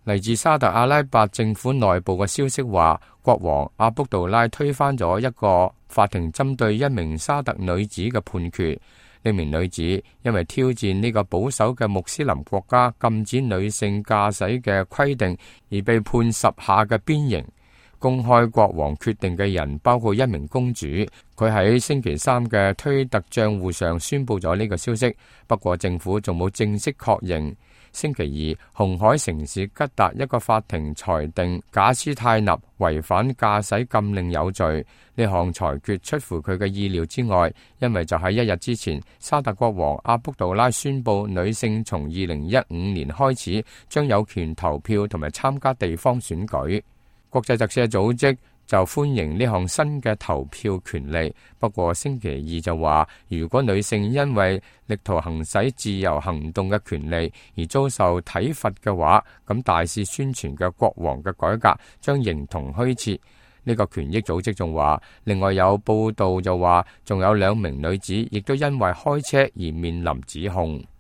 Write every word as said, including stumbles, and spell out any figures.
嚟自沙特阿拉伯政府內部嘅消息話，國王阿卜杜拉推翻咗一個法庭針對一名沙特女子嘅判決。呢名女子因為挑戰呢個保守嘅穆斯林國家禁止女性駕駛嘅規定，而被判十下嘅鞭刑。公開國王決定嘅人包括一名公主，佢喺星期三嘅推特賬戶上宣布咗呢個消息，不過政府仲冇正式確認。星期二，紅海城市吉達一個法庭裁定賈斯泰納違反駕駛禁令有罪。呢項裁決出乎佢嘅意料之外，因為就喺一日之前，沙特國王阿卜杜拉宣布女性從二零一五年開始將有權投票同埋參加地方選舉。國際特赦組織就歡迎呢項新嘅投票權利，不過星期二就話，如果女性因為力圖行使自由行動嘅權利而遭受體罰嘅話，咁大肆宣傳嘅國王嘅改革將形同虛設。呢個權益組織仲話，另外有報道就話，仲有兩名女子亦都因為開車而面臨指控。